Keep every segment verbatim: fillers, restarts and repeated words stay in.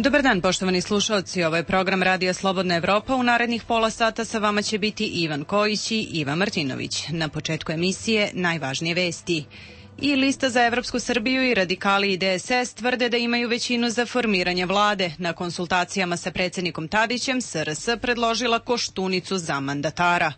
Dobar dan, poštovani slušalci. Ovo je program Radija Slobodna Evropa. U narednih pola sata sa vama će biti Ivan Kojić i Iva Martinović. Na početku emisije najvažnije vesti. I Lista za Evropsku Srbiju i Radikali i D S S tvrde da imaju većinu za formiranje vlade. Na konsultacijama sa predsjednikom Tadićem S R S predložila Koštunicu za mandatara.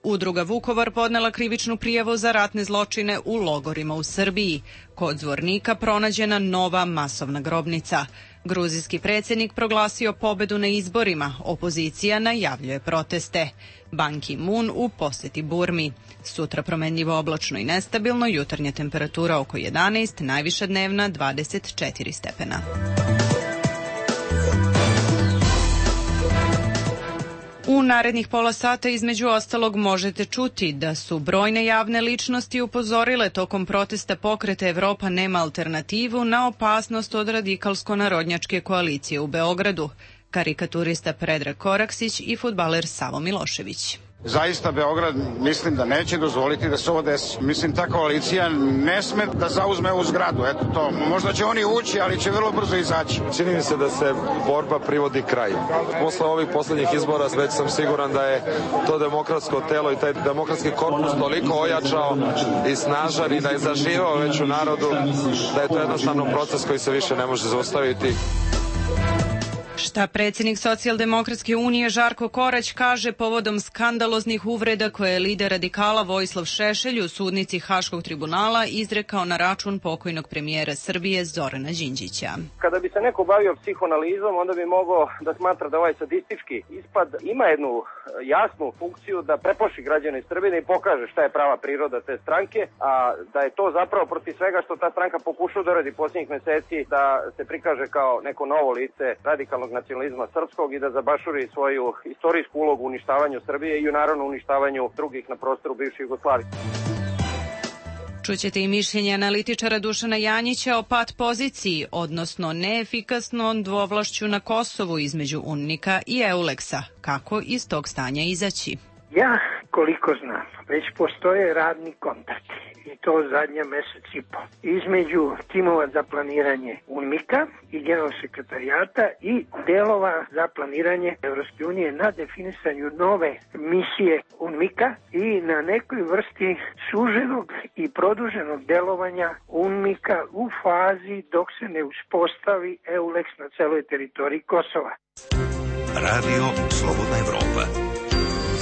Udruga Vukovar podnela krivičnu prijavu za ratne zločine u logorima u Srbiji. Kod Zvornika pronađena nova masovna grobnica. Gruzijski predsjednik proglasio pobedu na izborima. Opozicija najavljuje proteste. Ban Ki-moon u posjeti Burmi. Sutra promenljivo oblačno i nestabilno, jutarnja temperatura oko jedanaest, najviša dnevna dvadeset četiri stepena. U narednih pola sata između ostalog možete čuti da su brojne javne ličnosti upozorile tokom protesta Pokreta Evropa nema alternativu na opasnost od radikalsko-narodnjačke koalicije u Beogradu. Karikaturista Predrag Koraksić i fudbaler Savo Milošević. Zaista Beograd mislim da neće dozvoliti da se ovo desi. Mislim ta koalicija ne sme da zauzme ovu zgradu. Eto to. Možda će oni ući, ali će vrlo brzo izaći. Čini mi se da se borba privodi kraju. Posle ovih poslednjih izbora već sam siguran da je to demokratsko telo i taj demokratski korpus toliko ojačao i snažan i da je zaživao već u narodu, da je to jednostavno proces koji se više ne može zaustaviti. Šta predsjednik Socijaldemokratske unije Žarko Korać kaže povodom skandaloznih uvreda koje je lider radikala Vojislav Šešelj u sudnici Haškog tribunala izrekao na račun pokojnog premijera Srbije Zorana Đinđića. Kada bi se neko bavio psihoanalizom, onda bi mogao da smatra da ovaj sadistički ispad ima jednu jasnu funkciju da preplaši građane Srbije, da im pokaže šta je prava priroda te stranke, a da je to zapravo protiv svega što ta stranka pokušava da radi posljednjih meseci, da se prikaže kao neko novo lice radikalnog nacionalizma srpskog i da zabašuri svoju istorijsku ulogu u uništavanju Srbije i u naravno uništavanju drugih na prostoru bivše Jugoslavije. Čućete i mišljenje analitičara Dušana Janjića o pat poziciji, odnosno neefikasnom dvovlašću na Kosovu između UNMIK-a i EULEX-a. Kako iz tog stanja izaći? Ja, koliko znam, već postoje radni kontakti i to zadnja mesec i po između timova za planiranje UNMIK-a i generalnog sekretarijata i delova za planiranje Evropske unije na definisanju nove misije UNMIK-a i na nekoj vrsti suženog i produženog delovanja UNMIK-a u fazi dok se ne uspostavi EULEX na celoj teritoriji Kosova. Radio Slobodna Evropa.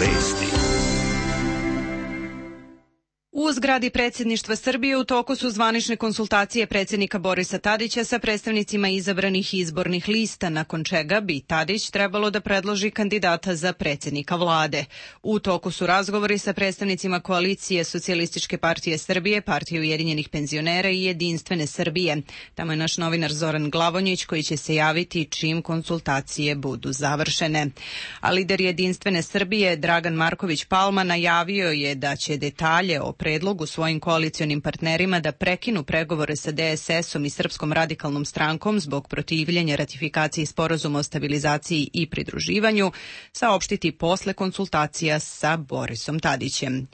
Vesti. U zgradi predsjedništva Srbije u toku su zvanične konsultacije predsjednika Borisa Tadića sa predstavnicima izabranih izbornih lista, nakon čega bi Tadić trebalo da predloži kandidata za predsjednika vlade. U toku su razgovori sa predstavnicima koalicije Socijalističke partije Srbije, Partije ujedinjenih penzionera i Jedinstvene Srbije. Tamo je naš novinar Zoran Glavonjić koji će se javiti čim konsultacije budu završene. A lider Jedinstvene Srbije Dragan Marković Palma najavio je da će detalje o predlogu svojim koalicionim partnerima da prekinu pregovore sa D S S-om i Srpskom radikalnom strankom zbog protivljenja ratifikaciji sporazuma o stabilizaciji i pridruživanju saopštiti posle konsultacija sa Borisom Tadićem.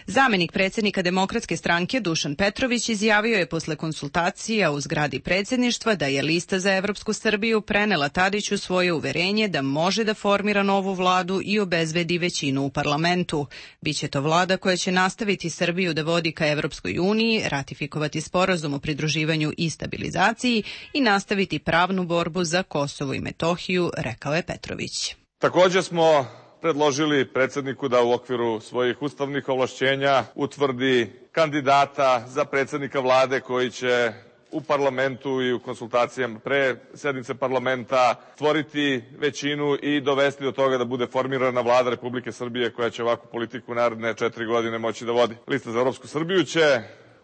Zamenik predsjednika Demokratske stranke Dušan Petrović izjavio je posle konsultacija u zgradi predsjedništva da je Lista za Evropsku Srbiju prenela Tadiću svoje uverenje da može da formira novu vladu i obezbedi većinu u parlamentu. Biće to vlada koja će nastaviti Srbiju da vodi ka Evropskoj uniji, ratifikovati sporazum o pridruživanju i stabilizaciji i nastaviti pravnu borbu za Kosovo i Metohiju, rekao je Petrović. Također smo predložili predsjedniku da u okviru svojih ustavnih ovlašćenja utvrdi kandidata za predsjednika vlade koji će u parlamentu i u konsultacijama pre sednice parlamenta stvoriti većinu i dovesti do toga da bude formirana vlada Republike Srbije koja će ovakvu politiku naredne četiri godine moći da vodi. Lista za Evropsku Srbiju će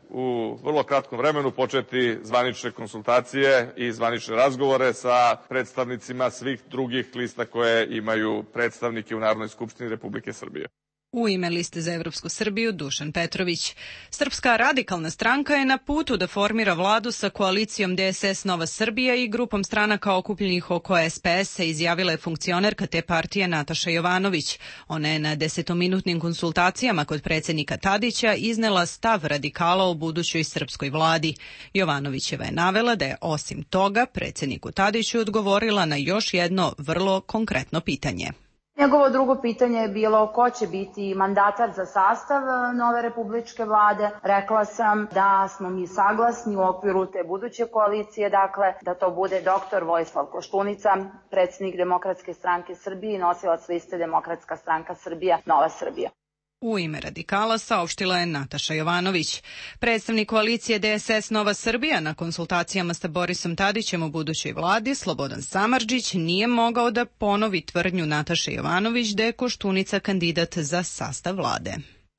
u vrlo kratkom vremenu početi zvanične konsultacije i zvanične razgovore sa predstavnicima svih drugih lista koje imaju predstavnike u Narodnoj skupštini Republike Srbije. U ime Liste za Evropsku Srbiju Dušan Petrović. Srpska radikalna stranka je na putu da formira vladu sa koalicijom D S S Nova Srbija i grupom stranaka okupljenih oko S P S-a, izjavila je funkcionerka te partije Nataša Jovanović. Ona je na desetominutnim konsultacijama kod predsjednika Tadića iznela stav radikala o budućoj srpskoj vladi. Jovanovićeva je navela da je osim toga predsjedniku Tadiću odgovorila na još jedno vrlo konkretno pitanje. Njegovo drugo pitanje je bilo ko će biti mandatar za sastav nove republičke vlade. Rekla sam da smo mi saglasni u okviru te buduće koalicije, dakle da to bude doktor Vojislav Koštunica, predsjednik Demokratske stranke Srbije i nosilac liste Demokratska stranka Srbija, Nova Srbija. U ime radikala saopštila je Nataša Jovanović. Predstavnik koalicije D S S Nova Srbija na konsultacijama sa Borisom Tadićem u budućoj vladi, Slobodan Samardžić, nije mogao da ponovi tvrdnju Nataše Jovanović da je Koštunica kandidat za sastav vlade.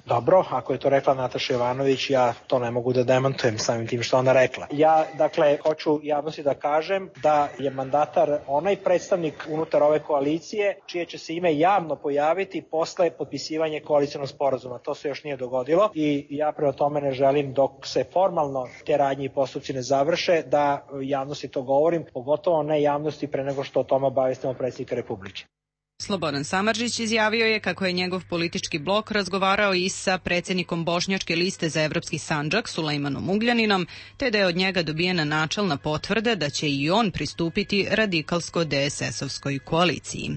Dobro, ako je to rekla Nataša Jovanović, ja to ne mogu da demantujem samim tim što ona rekla. Ja, dakle, hoću javnosti da kažem da je mandatar onaj predstavnik unutar ove koalicije čije će se ime javno pojaviti posle potpisivanja koalicionog sporazuma. To se još nije dogodilo i ja prema tome ne želim dok se formalno te radnje i postupci ne završe da javnosti to govorim, pogotovo ne javnosti pre nego što o tome obavestimo predsjednika Republike. Slobodan Samardžić izjavio je kako je njegov politički blok razgovarao i sa predsjednikom Bošnjačke liste za Evropski Sandžak, Sulejmanom Ugljaninom, te da je od njega dobijena načelna potvrda da će i on pristupiti radikalsko-D S S-ovskoj koaliciji.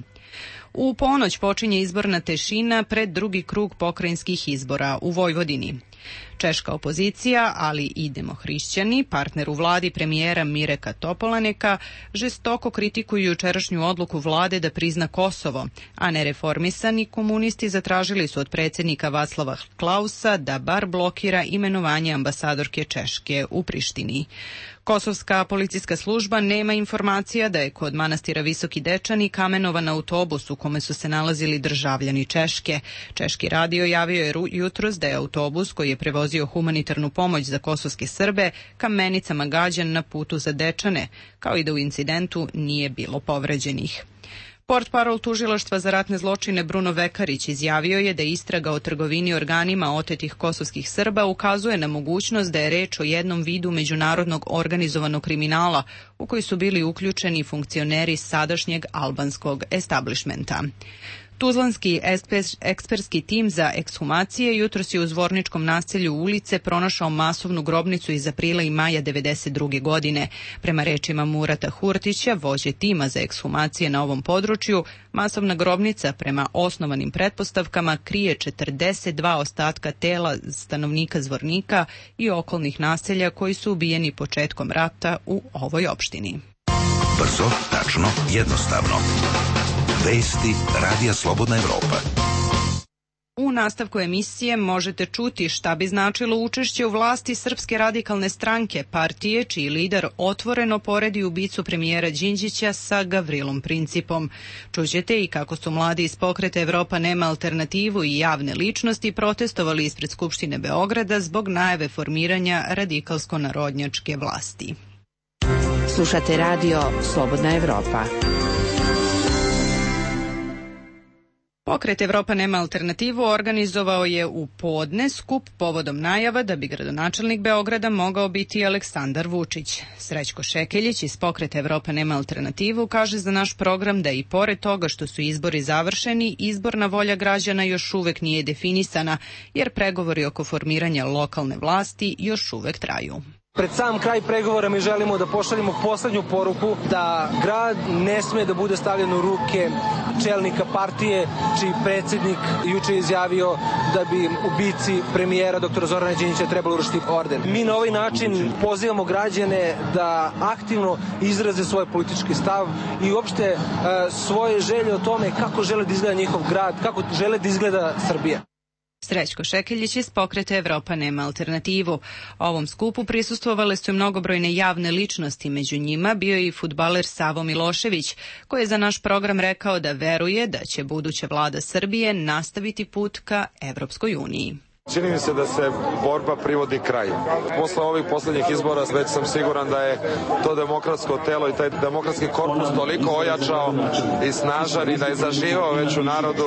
U ponoć počinje izborna tešina pred drugi krug pokrajinskih izbora u Vojvodini. Češka opozicija, ali i demohrišćani, partner u vladi premijera Mireka Topolaneka, žestoko kritikuju jučerašnju odluku vlade da prizna Kosovo, a nereformisani komunisti zatražili su od predsjednika Václava Klausa da bar blokira imenovanje ambasadorke Češke u Prištini. Kosovska policijska služba nema informacija da je kod manastira Visoki Dečani kamenovan autobus u kome su se nalazili državljani Češke. Češki radio javio je jutros da je autobus koji je prevozio humanitarnu pomoć za kosovske Srbe kamenicama gađan na putu za Dečane, kao i da u incidentu nije bilo povređenih. Portparol tužilaštva za ratne zločine Bruno Vekarić izjavio je da istraga o trgovini organima otetih kosovskih Srba ukazuje na mogućnost da je reč o jednom vidu međunarodnog organizovanog kriminala u koji su bili uključeni funkcioneri sadašnjeg albanskog establishmenta. Tuzlanski ekspertski tim za ekshumacije jutros je u Zvorničkom naselju ulice pronašao masovnu grobnicu iz aprila i maja devedeset druge. godine. Prema rečima Murata Hurtića, vođe tima za ekshumacije na ovom području, masovna grobnica prema osnovanim pretpostavkama krije četrdeset dva ostatka tela stanovnika Zvornika i okolnih naselja koji su ubijeni početkom rata u ovoj opštini. Brzo, tačno, jednostavno. Vesti Radija Slobodna Evropa. U nastavku emisije možete čuti šta bi značilo učešće u vlasti Srpske radikalne stranke, partije čiji lider otvoreno poredi ubicu premijera Đinđića sa Gavrilom Principom. Čućete i kako su mladi iz pokreta Evropa nema alternativu i javne ličnosti protestovali ispred Skupštine Beograda zbog najave formiranja radikalsko-narodnjačke vlasti. Slušate radio Slobodna Evropa. Pokret Evropa nema alternativu organizovao je u podne skup povodom najava da bi gradonačelnik Beograda mogao biti Aleksandar Vučić. Srećko Šekeljić iz Pokreta Evropa nema alternativu kaže za naš program da i pored toga što su izbori završeni, izborna volja građana još uvek nije definisana, jer pregovori oko formiranja lokalne vlasti još uvek traju. Pred sam kraj pregovora mi želimo da pošaljemo poslednju poruku da grad ne sme da bude stavljen u ruke čelnika partije čiji predsjednik juče izjavio da bi ubici premijera doktora Zorana Đinđića trebalo urušiti orden. Mi na ovaj način pozivamo građane da aktivno izraze svoj politički stav i uopšte e, svoje želje o tome kako žele da izgleda njihov grad, kako žele da izgleda Srbija. Srećko Šekeljić iz Pokreta Evropa nema alternativu. Ovom skupu prisustvovale su mnogobrojne javne ličnosti, među njima bio je i fudbaler Savo Milošević, koji je za naš program rekao da veruje da će buduća vlada Srbije nastaviti put ka Evropskoj uniji. Čini mi se da se borba privodi kraju. Posle ovih poslednjih izbora već sam siguran da je to demokratsko telo i taj demokratski korpus toliko ojačao i snažan i da je zaživao već u narodu,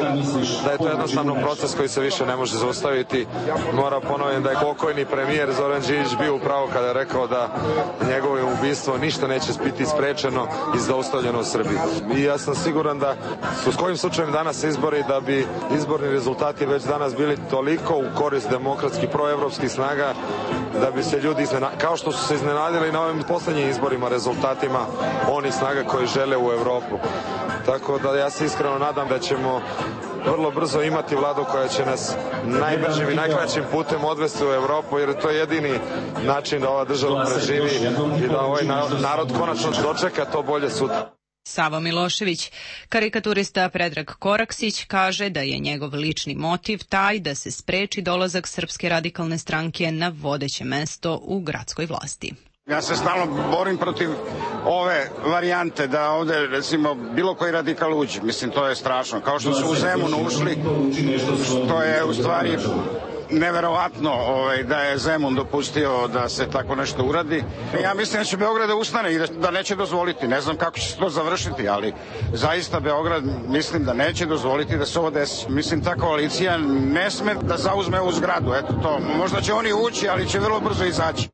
da je to jednostavno proces koji se više ne može zaustaviti. Moram ponoviti da je pokojni premijer Zoran Đinđić bio upravo kada je rekao da njegovo ubistvo ništa neće biti sprečeno i zaustavljeno u Srbiji. I ja sam siguran da su s kojim slučajem danas izbori, da bi izborni rezultati već danas bili toliko u korist demokratskih proevropskih snaga da bi se ljudi iznenadili, kao što su se iznenadili na ovim poslednjim izborima rezultatima onih snaga koji žele u Evropu. Tako da ja se iskreno nadam da ćemo vrlo brzo imati vladu koja će nas najbržim i najkraćim putem odvesti u Evropu, jer to je jedini način da ova država preživi i da ovaj narod konačno dočeka to bolje sutra. Savo Milošević. Karikaturista Predrag Koraksić kaže da je njegov lični motiv taj da se spreči dolazak Srpske radikalne stranke na vodeće mesto u gradskoj vlasti. Ja se stalno borim protiv ove varijante da ovde, recimo, bilo koji radikal uđe. Mislim, to je strašno. Kao što su u Zemunu ušli, to je u stvari neverovatno ovaj, da je Zemun dopustio da se tako nešto uradi. Ja mislim da će Beograd da ustane i da, da neće dozvoliti. Ne znam kako će se to završiti, ali zaista Beograd mislim da neće dozvoliti da se ovo desi. Mislim, ta koalicija ne sme da zauzme ovu zgradu. Eto to. Možda će oni ući, ali će vrlo brzo izaći.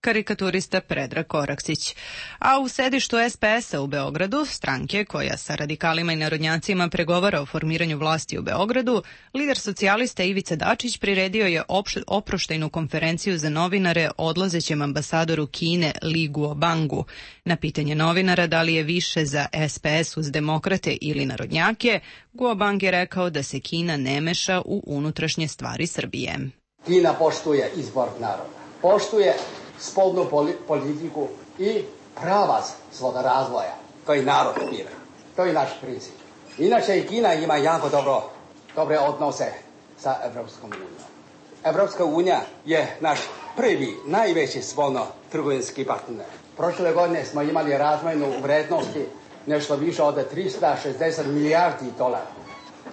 Karikaturista Predrag Koraksić. A u sedištu es pe es a u Beogradu, stranke koja sa radikalima i narodnjacima pregovara o formiranju vlasti u Beogradu, lider socijalista Ivica Dačić priredio je oproštajnu konferenciju za novinare odlazećem ambasadoru Kine Li Guobangu. Na pitanje novinara da li je više za es pe es uz demokrate ili narodnjake, Guobang je rekao da se Kina ne meša u unutrašnje stvari Srbije. Kina poštuje izbor naroda, poštuje spoljnu politiku i pravac svoga razvoja. To je narod bira. To je naš princip. Inače i Kina ima jako dobro, dobre odnose sa Evropskom unijom. Evropska unija je naš prvi, najveći spoljno-trgovinski partner. Prošle godine smo imali razmjenu u vrednosti nešto više od tristo šezdeset milijardi dolara.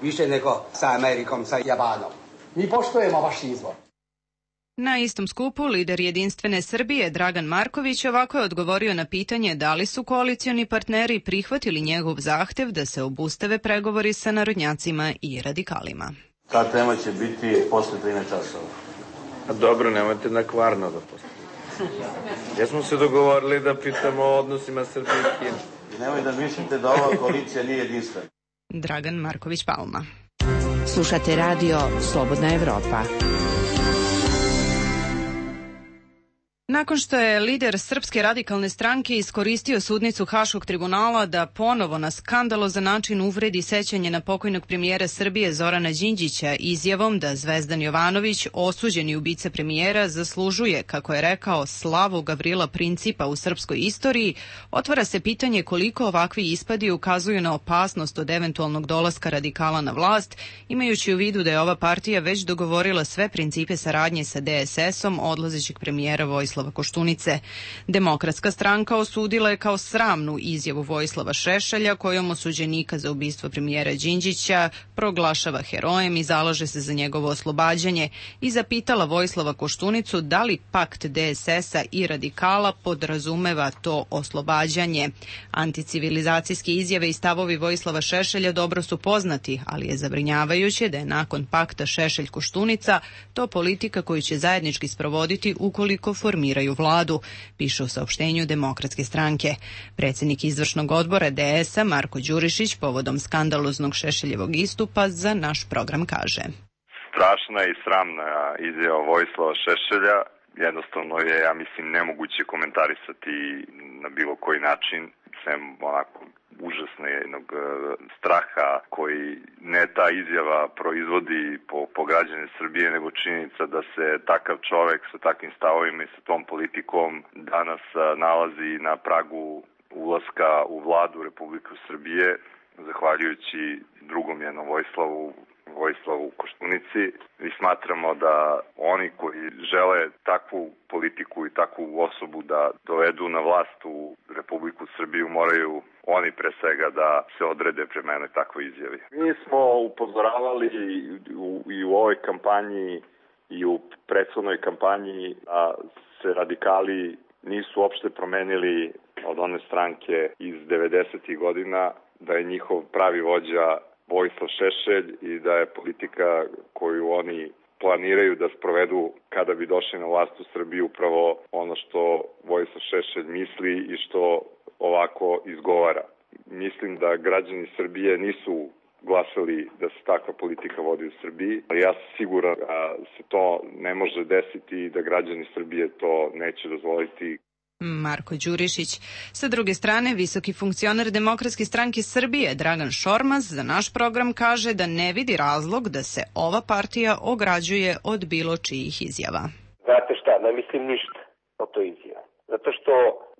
Više nego sa Amerikom, sa Japanom. Mi poštujemo vaš izbor. Na istom skupu lider Jedinstvene Srbije Dragan Marković ovako je odgovorio na pitanje da li su koalicioni partneri prihvatili njegov zahtev da se obustave pregovori sa narodnjacima i radikalima. Ta tema će biti posle trinaest časova. A dobro, nemojte na kvarno da postavite. Ja smo se dogovorili da pitamo o odnosima Srbije i Kine. Nemoj da mislite da ova koalicija nije jedinstvena. Dragan Marković Palma. Slušate radio Slobodna Evropa. Nakon što je lider Srpske radikalne stranke iskoristio sudnicu Haškog tribunala da ponovo na skandalozan način uvredi sećanje na pokojnog premijera Srbije Zorana Đinđića izjavom da Zvezdan Jovanović, osuđeni ubica premijera, zaslužuje, kako je rekao, slavu Gavrila Principa u srpskoj istoriji, otvara se pitanje koliko ovakvi ispadi ukazuju na opasnost od eventualnog dolaska radikala na vlast, imajući u vidu da je ova partija već dogovorila sve principe saradnje sa de es esom odlazećeg premijera Vojislava Koštunice. Demokratska stranka osudila je kao sramnu izjavu Vojislava Šešelja kojom osuđenika za ubistvo premijera Đinđića proglašava herojem i zalaže se za njegovo oslobađanje i zapitala Vojislava Koštunicu da li pakt de es esa i radikala podrazumeva to oslobađanje. Anticivilizacijske izjave i stavovi Vojislava Šešelja dobro su poznati, ali je zabrinjavajuće da je nakon pakta Šešelj-Koštunica to politika koju će zajednički sprovoditi ukoliko formiraju vladu, piše u saopštenju Demokratske stranke. Predsjednik izvršnog odbora de es a Marko Đurišić povodom skandaloznog Šešeljevog istupa za naš program kaže: Strašna i sramna izjava Vojislava Šešelja. Jednostavno je, ja mislim, nemoguće komentarisati na bilo koji način, sem onako užasne jednog straha koji ne ta izjava proizvodi po, po građane Srbije, nego činjenica da se takav čovek sa takvim stavovima i sa tom politikom danas nalazi na pragu ulaska u vladu Republike Srbije, zahvaljujući drugom jednom Vojislavu Vojislavu Koštunici. I smatramo da oni koji žele takvu politiku i takvu osobu da dovedu na vlast u Republiku Srbiju moraju oni pre svega da se odrede prema jednoj takvoj izjavi. Mi smo upozoravali i u, i u ovoj kampanji i u prethodnoj kampanji da se radikali nisu uopšte promenili od one stranke iz devedesetih godina, da je njihov pravi vođa Vojislav Šešelj i da je politika koju oni planiraju da sprovedu kada bi došli na vlast u Srbiji upravo ono što Vojislav Šešelj misli i što ovako izgovara. Mislim da građani Srbije nisu glasali da se takva politika vodi u Srbiji, ali ja sam siguran da se to ne može desiti i da građani Srbije to neće dozvoliti. Marko Đurišić. Sa druge strane, visoki funkcioner Demokratske stranke Srbije Dragan Šormaz za naš program kaže da ne vidi razlog da se ova partija ograđuje od bilo čijih izjava. Znate šta, ne mislim ništa o toj izjavi. Zato što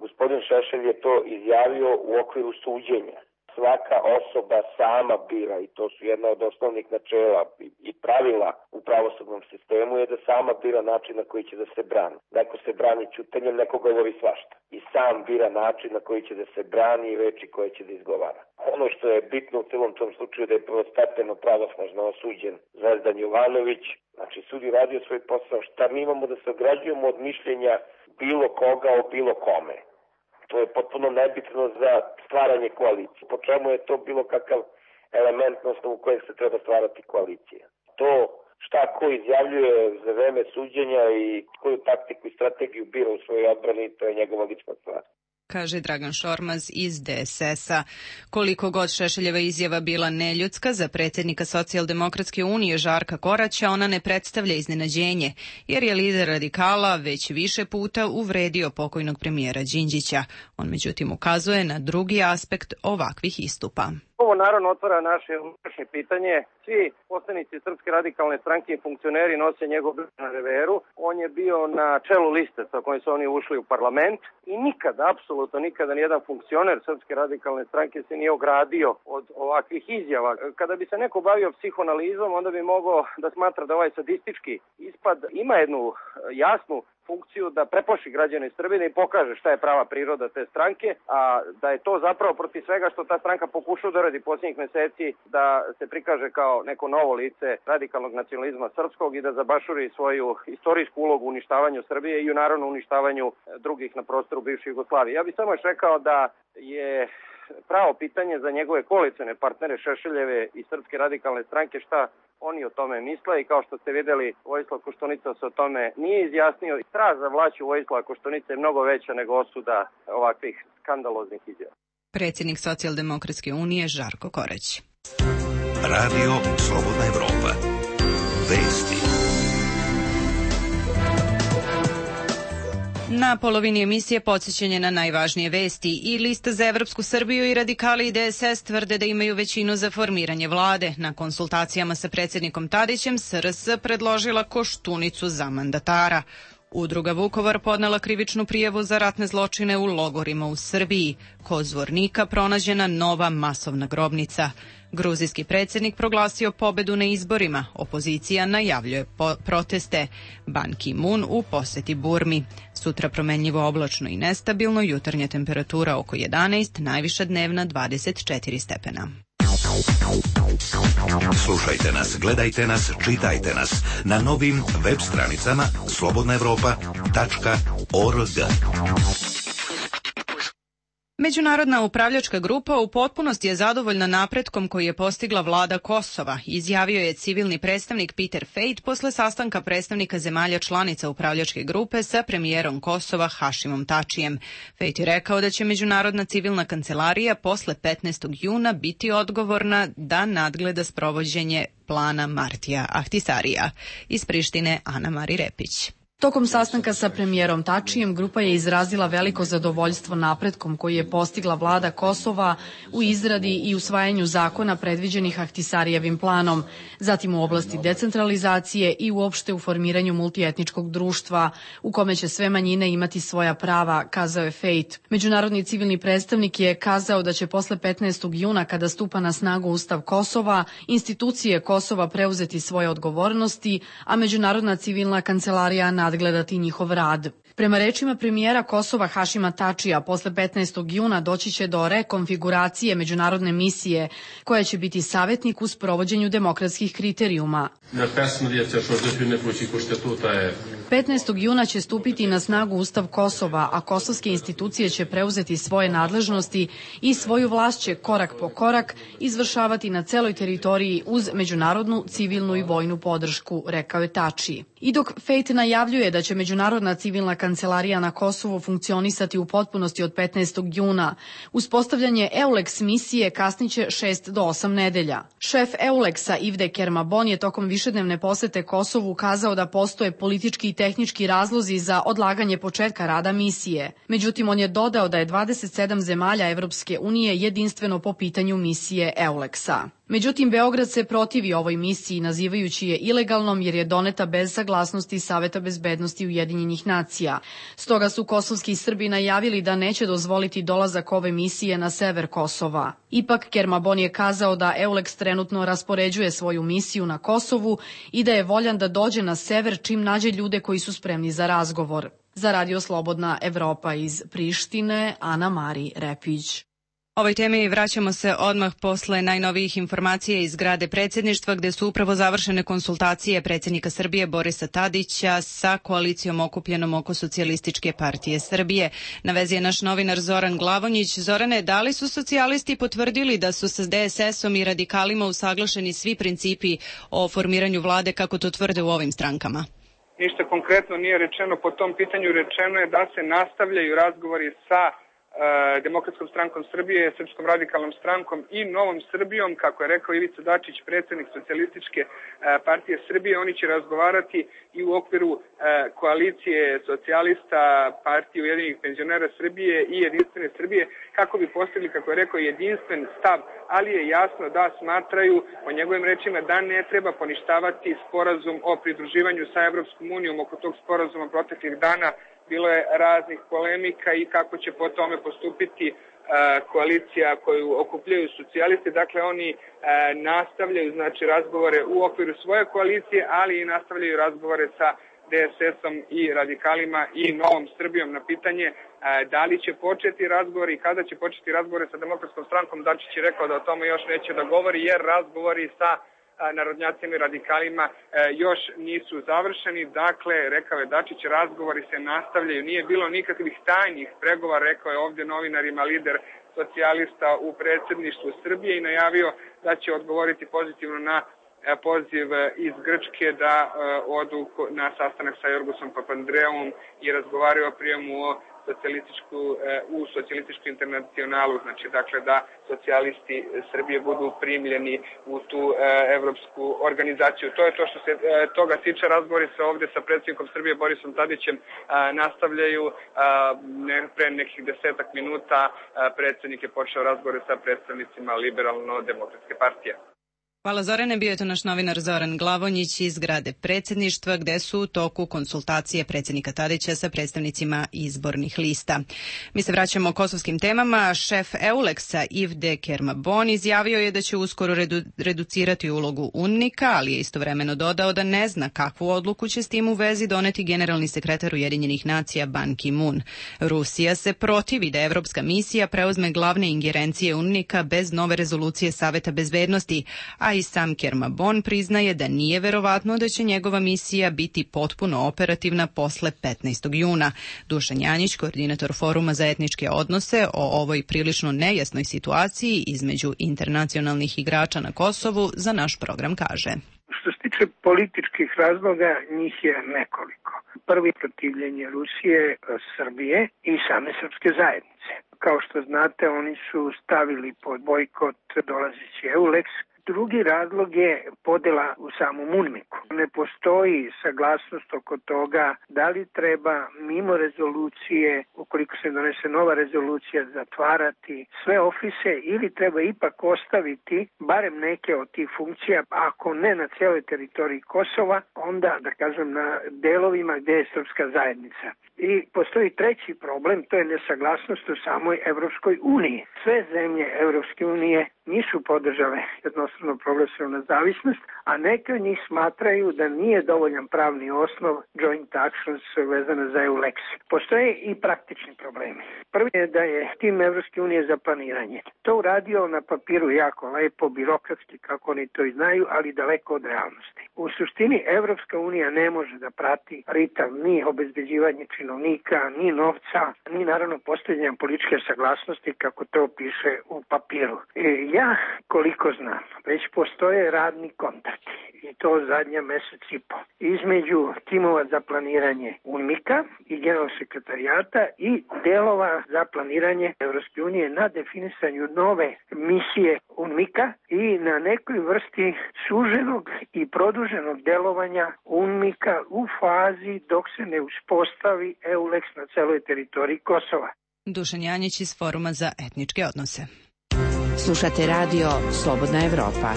gospodin Šešelj je to izjavio u okviru suđenja. Svaka osoba sama bira, i to su jedna od osnovnih načela i pravila u pravosudnom sistemu, je da sama bira način na koji će da se brani. Neko se brani ćutanjem, neko govori svašta. I sam bira način na koji će da se brani i reči koje će da izgovara. Ono što je bitno u celom tom slučaju da je prvostepeno pravosnažno osuđen Zvezdan Jovanović. Znači, sud je radio svoj posao. Šta mi imamo da se ograđujemo od mišljenja bilo koga o bilo kome? To je potpuno nebitno za stvaranje koalicije. Po čemu je to bilo kakav element na osnovu kojeg se treba stvarati koalicija? To šta ko izjavljuje za vreme suđenja i koju taktiku i strategiju bira u svojoj odbrani, to je njegova lična stvar. Kaže Dragan Šormaz iz D S S-a. Koliko god Šešeljeva izjava bila neljudska, za predsjednika Socijaldemokratske unije Žarka Koraća ona ne predstavlja iznenađenje, jer je lider radikala već više puta uvredio pokojnog premijera Đinđića. On međutim ukazuje na drugi aspekt ovakvih istupa. Ovo naravno otvara naše unutrašnje pitanje. Svi poslanici Srpske radikalne stranke i funkcioneri nose njegov na reveru. On je bio na čelu liste sa kojim su oni ušli u parlament i nikada, apsolutno nikada nijedan funkcioner Srpske radikalne stranke se nije ogradio od ovakvih izjava. Kada bi se neko bavio psihoanalizom, onda bi mogao da smatra da ovaj sadistički ispad ima jednu jasnu funkciju da preplaši građane Srbije i pokaže šta je prava priroda te stranke, a da je to zapravo protiv svega što ta stranka pokušava da radi posljednjih meseci, da se prikaže kao neko novo lice radikalnog nacionalizma srpskog i da zabašuri svoju istorijsku ulogu u uništavanju Srbije i u naravno uništavanju drugih na prostoru bivše Jugoslavije. Ja bih samo još rekao da je pravo pitanje za njegove koalicione partnere Šešeljeve i Srpske radikalne stranke šta oni o tome misle i kao što ste vidjeli, Vojislav Koštunica se o tome nije izjasnio. Strah za vlašću Vojislava Koštunice je mnogo veća nego osuda ovakvih skandaloznih izjava. Predsjednik Socijaldemokratske unije Žarko Korać. Radio Slobodna Evropa. Vesti. Na polovini emisije podsjećanje na najvažnije vesti. I Lista za Evropsku Srbiju i radikali i D S S tvrde da imaju većinu za formiranje vlade. Na konsultacijama sa predsjednikom Tadićem S R S predložila Koštunicu za mandatara. Udruga Vukovar podnela krivičnu prijavu za ratne zločine u logorima u Srbiji. Kod Zvornika pronađena nova masovna grobnica. Gruzijski predsjednik proglasio pobedu na izborima. Opozicija najavljuje po proteste. Ban Ki-moon u poseti Burmi. Sutra promenljivo oblačno i nestabilno, jutarnja temperatura oko jedanaest, najviša dnevna dvadeset četiri stepena. Slušajte nas, gledajte nas, čitajte nas na novim web stranicama slobodna evropa tačka org. Međunarodna upravljačka grupa u potpunosti je zadovoljna napretkom koji je postigla vlada Kosova, izjavio je civilni predstavnik Peter Fejt posle sastanka predstavnika zemalja članica upravljačke grupe sa premijerom Kosova Hašimom Tačijem. Fejt je rekao da će Međunarodna civilna kancelarija posle petnaestog juna biti odgovorna da nadgleda sprovođenje plana Martija Ahtisarija. Iz Prištine Ana Mari Repić. Tokom sastanka sa premijerom Tačijem, grupa je izrazila veliko zadovoljstvo napretkom koji je postigla vlada Kosova u izradi i usvajanju zakona predviđenih Ahtisarijevim planom, zatim u oblasti decentralizacije i uopšte u formiranju multietničkog društva, u kome će sve manjine imati svoja prava, kazao je Fejt. Međunarodni civilni predstavnik je kazao da će posle petnaestog juna, kada stupa na snagu Ustav Kosova, institucije Kosova preuzeti svoje odgovornosti, a Međunarodna civilna kancelarija nadgledati njihov rad. Prema rečima premijera Kosova Hašima Tačija, posle petnaestog juna doći će do rekonfiguracije međunarodne misije, koja će biti savjetnik u sprovođenju demokratskih kriterijuma. petnaestog juna će stupiti na snagu Ustav Kosova, a kosovske institucije će preuzeti svoje nadležnosti i svoju vlast će korak po korak izvršavati na celoj teritoriji uz međunarodnu, civilnu i vojnu podršku, rekao je Tači. I dok Fejt najavljuje da će Međunarodna civilna kancelarija na Kosovu funkcionisati u potpunosti od petnaestog juna, uspostavljanje EULEX misije kasniće šest do osam nedelja. Šef EULEX-a Ivde Kermabon je tokom višednevne posete Kosovu kazao da postoje politički i tehnički razlozi za odlaganje početka rada misije. Međutim, on je dodao da je dvadeset sedam zemalja Evropske unije jedinstveno po pitanju misije EULEX-a. Međutim, Beograd se protivi ovoj misiji, nazivajući je ilegalnom jer je doneta bez saglasnosti Saveta bezbednosti Ujedinjenih nacija. Stoga su kosovski Srbi najavili da neće dozvoliti dolazak ove misije na sever Kosova. Ipak, Kermabon je kazao da EULEX trenutno raspoređuje svoju misiju na Kosovu i da je voljan da dođe na sever čim nađe ljude koji su spremni za razgovor. Za Radio Slobodna Evropa iz Prištine, Ana Mari Repić. Ovoj temi vraćamo se odmah posle najnovijih informacija iz zgrade predsjedništva, gde su upravo završene konsultacije predsjednika Srbije Borisa Tadića sa koalicijom okupljenom oko Socijalističke partije Srbije. Na vezi je naš novinar Zoran Glavonjić. Zorane, da li su socijalisti potvrdili da su sa D S S-om i radikalima usaglašeni svi principi o formiranju vlade, kako to tvrde u ovim strankama? Ništa konkretno nije rečeno po tom pitanju. Rečeno je da se nastavljaju razgovori sa Demokratskom strankom Srbije, Srpskom radikalnom strankom i Novom Srbijom, kako je rekao Ivica Dačić, predsjednik Socijalističke partije Srbije. Oni će razgovarati i u okviru koalicije socijalista, partije Ujedinjenih penzionera Srbije i Jedinstvene Srbije, kako bi postigli, kako je rekao, jedinstven stav, ali je jasno da smatraju, po njegovim rečima, da ne treba poništavati sporazum o pridruživanju sa Evropskom unijom. Oko tog sporazuma proteklih dana bilo je raznih polemika i kako će po tome postupiti uh, koalicija koju okupljaju socijalisti. Dakle, oni uh, nastavljaju znači razgovore u okviru svoje koalicije, ali i nastavljaju razgovore sa D S S-om i radikalima i Novom Srbijom. Na pitanje uh, da li će početi razgovori i kada će početi razgovore sa Demokratskom strankom, Dačić je rekao da o tome još neće da govori, jer razgovori sa narodnjacima i radikalima e, još nisu završeni. Dakle, rekao je Dačić, razgovori se nastavljaju. Nije bilo nikakvih tajnih pregovora, rekao je ovdje novinarima lider socijalista u predsjedništvu Srbije i najavio da će odgovoriti pozitivno na e, poziv iz Grčke da e, odu na sastanak sa Jorgosom Papandreouom i razgovaraju o prijemu o socijalističku, u socijalističku internacionalu, znači dakle da socijalisti Srbije budu primljeni u tu e, evropsku organizaciju. To je to što se e, toga tiče. Razgovori se ovdje sa predsjednikom Srbije Borisom Tadićem a, nastavljaju. A, ne, pre nekih desetak minuta a, predsjednik je počeo razgovore sa predstavnicima Liberalno-demokratske partije. Hvala Zorane, bio je to naš novinar Zoran Glavonjić iz zgrade predsjedništva, gde su u toku konsultacije predsjednika Tadića sa predstavnicima izbornih lista. Mi se vraćamo kosovskim temama. Šef EULEX-a Ivde Kermabon izjavio je da će uskoro redu, reducirati ulogu UNMIK-a, ali je istovremeno dodao da ne zna kakvu odluku će s tim u vezi doneti generalni sekretar Ujedinjenih nacija Ban Ki-moon. Rusija se protivi da evropska misija preuzme glavne ingerencije UNMIK-a bez nove rezolucije Saveta bezbednosti, a i sam Kermabon priznaje da nije verovatno da će njegova misija biti potpuno operativna posle petnaestog juna. Dušan Janjić, koordinator Foruma za etničke odnose, o ovoj prilično nejasnoj situaciji između internacionalnih igrača na Kosovu za naš program kaže. Što se tiče političkih razloga, njih je nekoliko. Prvi, protivljenje Rusije, Srbije i same srpske zajednice. Kao što znate, oni su stavili pod bojkot dolazeći EULEX. Drugi razlog je podela u samom UNMIK-u. Ne postoji saglasnost oko toga da li treba mimo rezolucije, ukoliko se donese nova rezolucija, zatvarati sve ofise ili treba ipak ostaviti barem neke od tih funkcija, ako ne na cijeloj teritoriji Kosova, onda da kažem na delovima gdje je srpska zajednica. I postoji treći problem, to je nesaglasnost u samoj Evropskoj uniji. Sve zemlje Evropske unije nisu podržale jednostavno proglasila nezavisnost, a neke od njih smatraju da nije dovoljan pravni osnov joint actions vezano za EULEX. Postoje i praktični problemi. Prvi je da je tim Evropske unije za planiranje to uradio na papiru jako lepo, birokratski, kako oni to i znaju, ali daleko od realnosti. U suštini Evropska unija ne može da prati ritam ni obezbeđivanje činovnika, ni novca, ni naravno postavljanje političke saglasnosti kako to piše u papiru. E, ja, koliko znam, već postoje radni kontakti i to zadnja mesec i po između timova za planiranje UNMIK-a i generalnog sekretarijata i delova za planiranje Evropske unije na definisanju nove misije UNMIK-a i na nekoj vrsti suženog i produženog delovanja UNMIK-a u fazi dok se ne uspostavi EULEX na celoj teritoriji Kosova. Dušan Janjić iz Foruma za etničke odnose. Slušate radio Slobodna Evropa.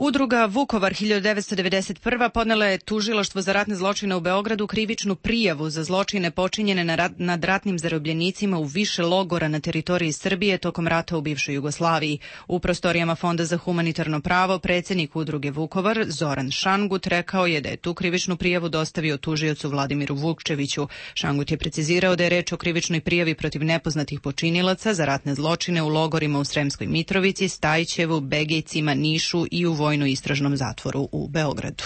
Udruga Vukovar hiljadu devetsto devedeset prva podnela je tužilaštvo za ratne zločine u Beogradu krivičnu prijavu za zločine počinjene nad ratnim zarobljenicima u više logora na teritoriji Srbije tokom rata u bivšoj Jugoslaviji. U prostorijama Fonda za humanitarno pravo predsjednik udruge Vukovar Zoran Šangut rekao je da je tu krivičnu prijavu dostavio tužiocu Vladimiru Vukčeviću. Šangut je precizirao da je reč o krivičnoj prijavi protiv nepoznatih počinilaca za ratne zločine u logorima u Sremskoj Mitrovici, Stajčevu, Begejcima, Nišu i u vojno-istražnom zatvoru u Beogradu.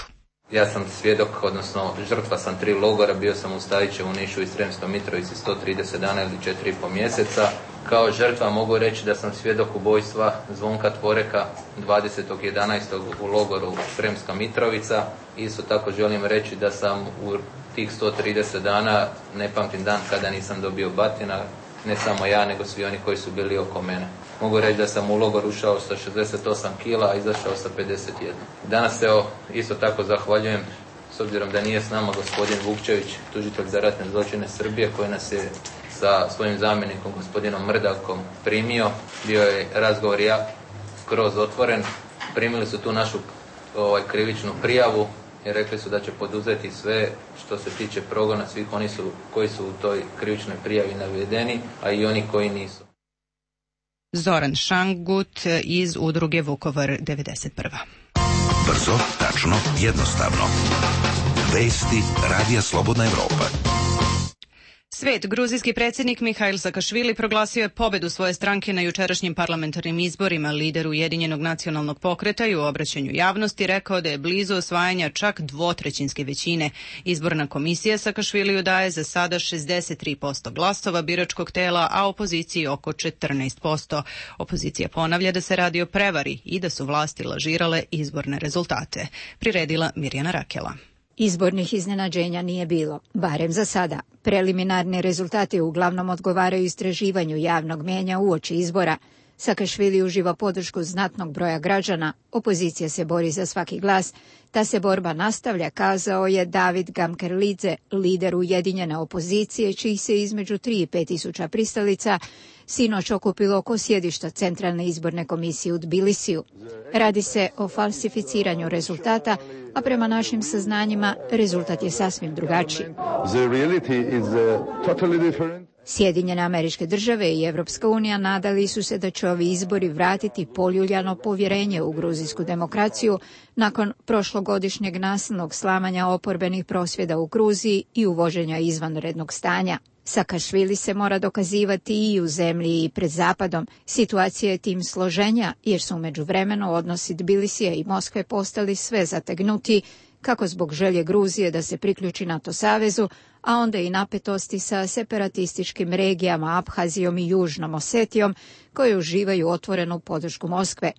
Ja sam svjedok, odnosno žrtva sam tri logora, bio sam u Stajićevu, Nišu i Sremskoj Mitrovici sto trideset dana ili četiri i po mjeseca. Kao žrtva mogu reći da sam svjedok ubojstva Zvonka Tvoreka dvadesetog jedanaestog u logoru Sremska Mitrovica. Isto tako želim reći da sam u tih sto trideset dana, ne pamtim dan kada nisam dobio batina, ne samo ja, nego svi oni koji su bili oko mene. Mogu reći da sam u logor ušao sa šezdeset osam kila, a izašao sa pedeset jedan. Danas se isto tako zahvaljujem, s obzirom da nije s nama gospodin Vukčević, tužitelj za ratne zločine Srbije, koji nas je sa svojim zamjenikom gospodinom Mrdakom primio. Bio je razgovor ja skroz otvoren. Primili su tu našu ovaj, krivičnu prijavu i rekli su da će poduzeti sve što se tiče progona svih oni su, koji su u toj krivičnoj prijavi navedeni, a i oni koji nisu. Zoran Šangut iz udruge Vukovar devedeset prva. Brzo, tačno, jednostavno. Vesti Radija Slobodna Evropa. Svet, gruzijski predsjednik Mihail Sakašvili proglasio je pobedu svoje stranke na jučerašnjim parlamentarnim izborima. Lider Ujedinjenog nacionalnog pokreta i u obraćanju javnosti rekao da je blizu osvajanja čak dvotrećinske većine. Izborna komisija Sakašviliju daje za sada šezdeset tri posto glasova biračkog tela, a opoziciji oko četrnaest posto. Opozicija ponavlja da se radi o prevari i da su vlasti lažirale izborne rezultate. Priredila Mirjana Rakela. Izbornih iznenađenja nije bilo, barem za sada. Preliminarni rezultati uglavnom odgovaraju istraživanju javnog mnijenja uoči izbora. Sakašvili uživa podršku znatnog broja građana, opozicija se bori za svaki glas. Ta se borba nastavlja, kazao je David Gamkerlidze, lider ujedinjene opozicije, čiji se između tri i pet tisuća pristalica sinoć okupilo oko sjedišta Centralne izborne komisije u Tbilisiju. Radi se o falsificiranju rezultata, a prema našim saznanjima rezultat je sasvim drugačiji. Sjedinjene Američke Države i Evropska unija nadali su se da će ovi izbori vratiti poljuljano povjerenje u gruzijsku demokraciju nakon prošlogodišnjeg nasilnog slamanja oporbenih prosvjeda u Gruziji i uvođenja izvanrednog stanja. Sakašvili se mora dokazivati i u zemlji i pred Zapadom. Situacija je tim složenja jer su u međuvremenu odnosi Tbilisija i Moskve postali sve zategnuti, kako zbog želje Gruzije da se priključi NATO savezu, a onda i napetosti sa separatističkim regijama Abhazijom i Južnom Osetijom, koje uživaju otvorenu podršku Moskve.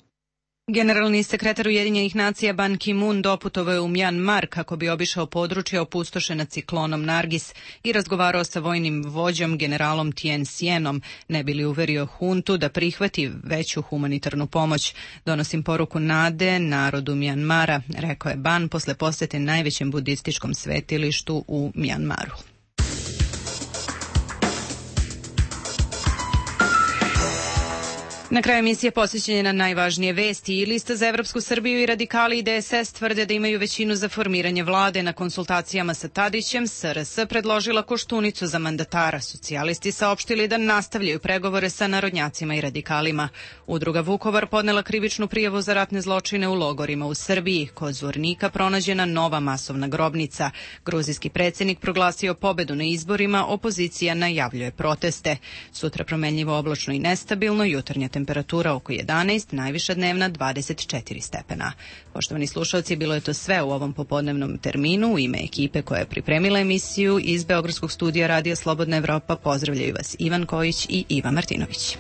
Generalni sekretar Ujedinjenih nacija Ban Ki-moon doputovao je u Mjanmar kako bi obišao područje opustošena ciklonom Nargis i razgovarao sa vojnim vođom generalom Tien Sienom, ne bi li uverio huntu da prihvati veću humanitarnu pomoć. Donosim poruku nade narodu Mjanmara, rekao je Ban posle posjete najvećem budističkom svetilištu u Mjanmaru. Na kraju emisije posvećen je na najvažnije vesti. I Lista za Evropsku Srbiju i radikali i D S S tvrde da imaju većinu za formiranje vlade. Na konsultacijama sa Tadićem S R S predložila Koštunicu za mandatara. Socijalisti saopštili da nastavljaju pregovore sa narodnjacima i radikalima. Udruga Vukovar podnela krivičnu prijavu za ratne zločine u logorima u Srbiji. Kod Zvornika pronađena nova masovna grobnica. Gruzijski predsjednik proglasio pobedu na izborima, opozicija najavljuje proteste. Sutra promenljivo oblačno i nestabilno, jutarnja temperatura oko jedanaest, najviša dnevna dvadeset četiri stepena. Poštovani slušalci, bilo je to sve u ovom popodnevnom terminu. U ime ekipe koja je pripremila emisiju iz Beogradskog studija Radija Slobodna Evropa pozdravljaju vas Ivan Kojić i Iva Martinović.